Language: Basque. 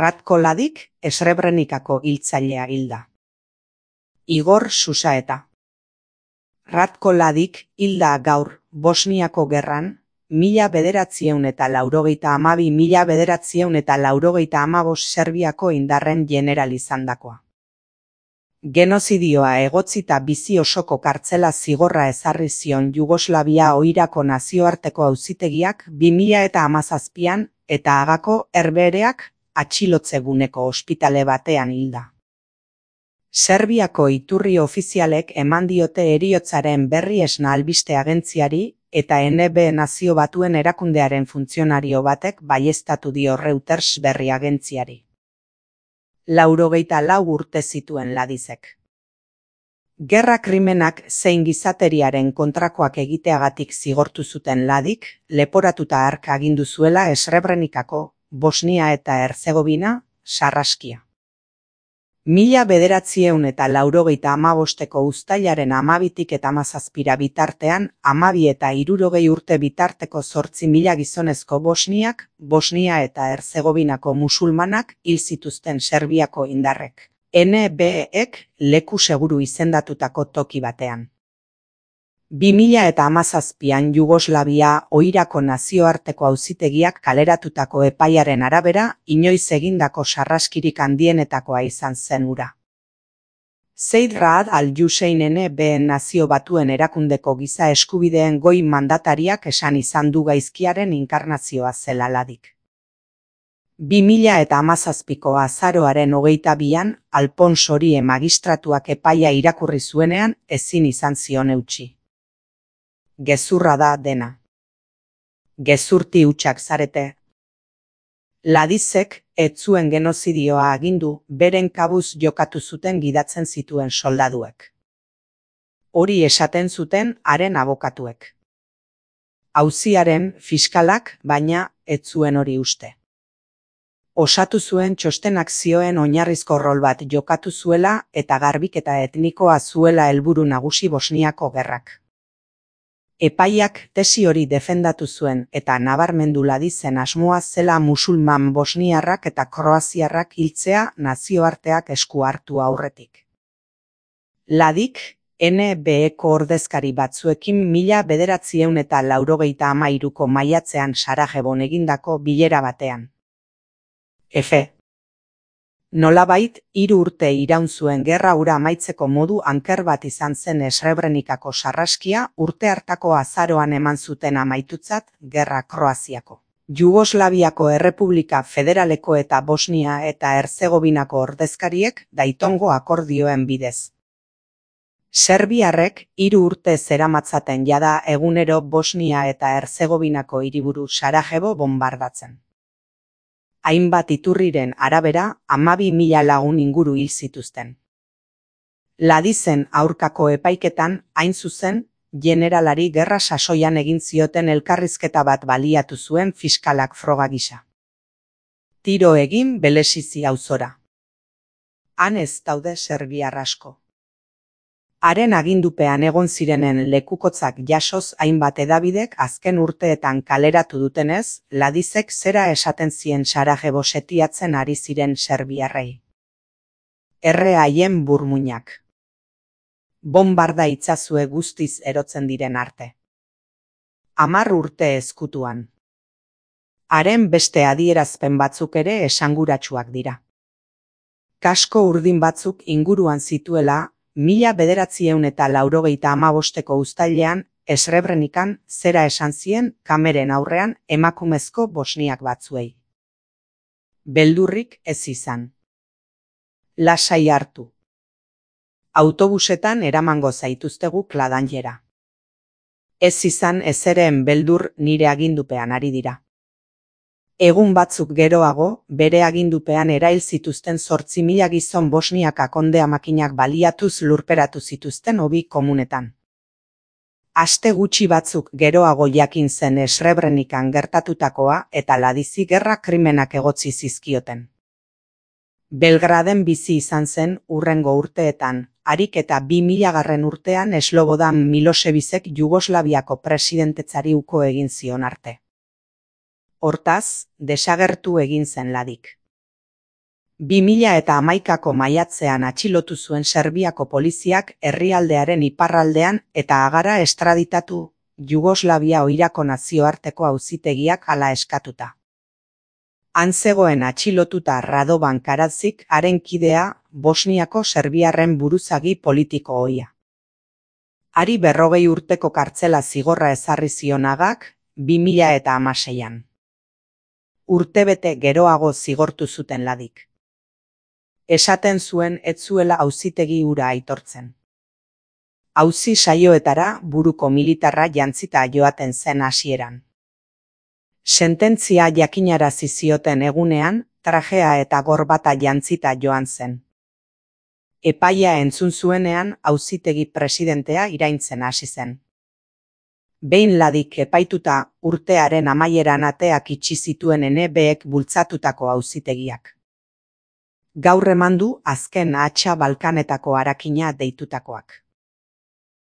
Ratko Mladic, Srebrenikako hiltzailea hilda. Igor Susaeta. Ratko Mladic hilda gaur Bosniako gerran, 1982–1985 Serbiako indarren jeneral izandakoa. Genozidioa egotzita bizi osoko kartzela zigorra ezarri zion Jugoslavia oirako nazioarteko auzitegiak 2017an eta Hagako Herbehereak atxilotzeguneko ospitale batean hilda. Serbiako iturri ofizialek eman diote heriotzaren berri Esna albiste agentziari eta NB Nazio Batuen erakundearen funtzionario batek baieztatu dio Reuters berri agentziari. 84 urte zituen Mladicek. Gerra krimenak zein gizateriaren kontrakoak egiteagatik zigortu zuten Mladic, leporatuta hark agindu zuela Srebrenikako, Bosnia eta Herzegovina, sarraskia. 1985ko uztailaren 12tik eta 17 bitartean, 12 eta 60 urte bitarteko 8.000 gizonezko Bosniak, Bosnia eta Herzegovinako musulmanak hil zituzten Serbiako indarrek. NBEk leku seguru izendatutako toki batean. 2017an Jugoslavia oirako nazioarteko auzitegiak kaleratutako epaiaren arabera, inoiz egindako sarraskirik handienetakoa izan zen hura. Zeid Raad al-Hussein NB Nazio Batuen erakundeko giza eskubideen goi mandatariak esan izan du gaizkiaren inkarnazioa zela Mladic. 2017ko azaroaren 22an Alphonse Orie magistratuak epaia irakurri zuenean ezin izan zion eutsi. Gezurra da dena. Gezurti hutsak zarete. Mladicek ez zuen genozidioa agindu, beren kabuz jokatu zuten gidatzen zituen soldaduek. Hori esaten zuten haren abokatuek. Auziaren fiskalak, baina, ez zuen hori uste. Osatu zuen txostenak zioen oinarrizko rol bat jokatu zuela eta garbiketa etnikoa zuela helburu nagusi Bosniako gerrak. Epaiak tesi hori defendatu zuen eta nabarmendu Mladicen asmoa zela musulman bosniarrak eta kroaziarrak hiltzea nazioarteak esku hartu aurretik. Mladic, NBEko ordezkari batzuekin 1983ko maiatzean Sarajevon egindako bilera batean. F. Nolabait, 3 urte iraun zuen gerra hura amaitzeko modu anker bat izan zen Srebrenikako sarraskia urte hartako azaroan eman zuten amaitutzat gerra Kroaziako. Jugoslaviako Errepublika Federaleko eta Bosnia eta Herzegovinako ordezkariek Daytongo akordioen bidez. Serbiarrek 3 urte zeramatzaten jada egunero Bosnia eta Herzegovinako hiriburu Sarajevo bonbardatzen. Hainbat iturriren arabera, 12.000 lagun inguru hil zituzten. Mladicen aurkako epaiketan, hain zuzen, generalari gerra sasoian egin zioten elkarrizketa bat baliatu zuen fiskalak froga gisa. Tiro egin Belesizi auzora. Han ez daude serbiar asko. Haren agindupean egon zirenen lekukotzak jasoz hainbat hedabidek azken urteetan kaleratu dutenez, Mladicek zera esaten zien Sarajevo setiatzen ari ziren serbiarrei. Erre haien burmuinak. Bonbarda itzazue guztiz erotzen diren arte. 10 urte ezkutuan. Haren beste adierazpen batzuk ere esanguratsuak dira. Kasko urdin batzuk inguruan zituela, 1985ko uztailean, Srebrenikan zera esan zien kameren aurrean emakumezko bosniak batzuei. Beldurrik ez izan. Lasai hartu. Autobusetan eramango zaituztegu Kladanjera. Ez izan ezeren beldur nire agindupean ari dira. Egun batzuk geroago, bere agindupean erail zituzten 8.000 gizon Bosniaka kondea makinak baliatuz lurperatu zituzten hobi komunetan. Aste gutxi batzuk geroago jakin zen Srebrenikan gertatutakoa eta Mladici gerra krimenak egotzi zizkioten. Belgraden bizi izan zen hurrengo urteetan, harik eta 2000 urtean Slobodan Milosevicek Jugoslaviako presidentetzari uko egin zion arte. Hortaz, desagertu egin zen Mladic. 2011ko maiatzean atxilotu zuen Serbiako poliziak herrialdearen iparraldean eta hagara estraditatu Jugoslavia oirako nazioarteko auzitegiak hala eskatuta. Han zegoen atxilotuta Radovan Karadzic haren kidea Bosniako serbiarren buruzagi politiko ohia. Hari 40 urteko kartzela zigorra ezarri zion Hagak 2016an. Urtebete geroago zigortu zuten Ladik. Esaten zuen ez zuela auzitegi hura aitortzen. Auzi saioetara buruko militarra jantzita joaten zen hasieran. Sententzia jakinarazi zioten egunean, trajea eta gorbata jantzita joan zen. Epaia entzun zuenean auzitegi presidentea iraintzen hasi zen. Behin Ladik epaituta urtearen amaieran ateak itxi zituen NBek bultzatutako auzitegiak. Gaur eman du azken hatsa Balkanetako harakina deitutakoak.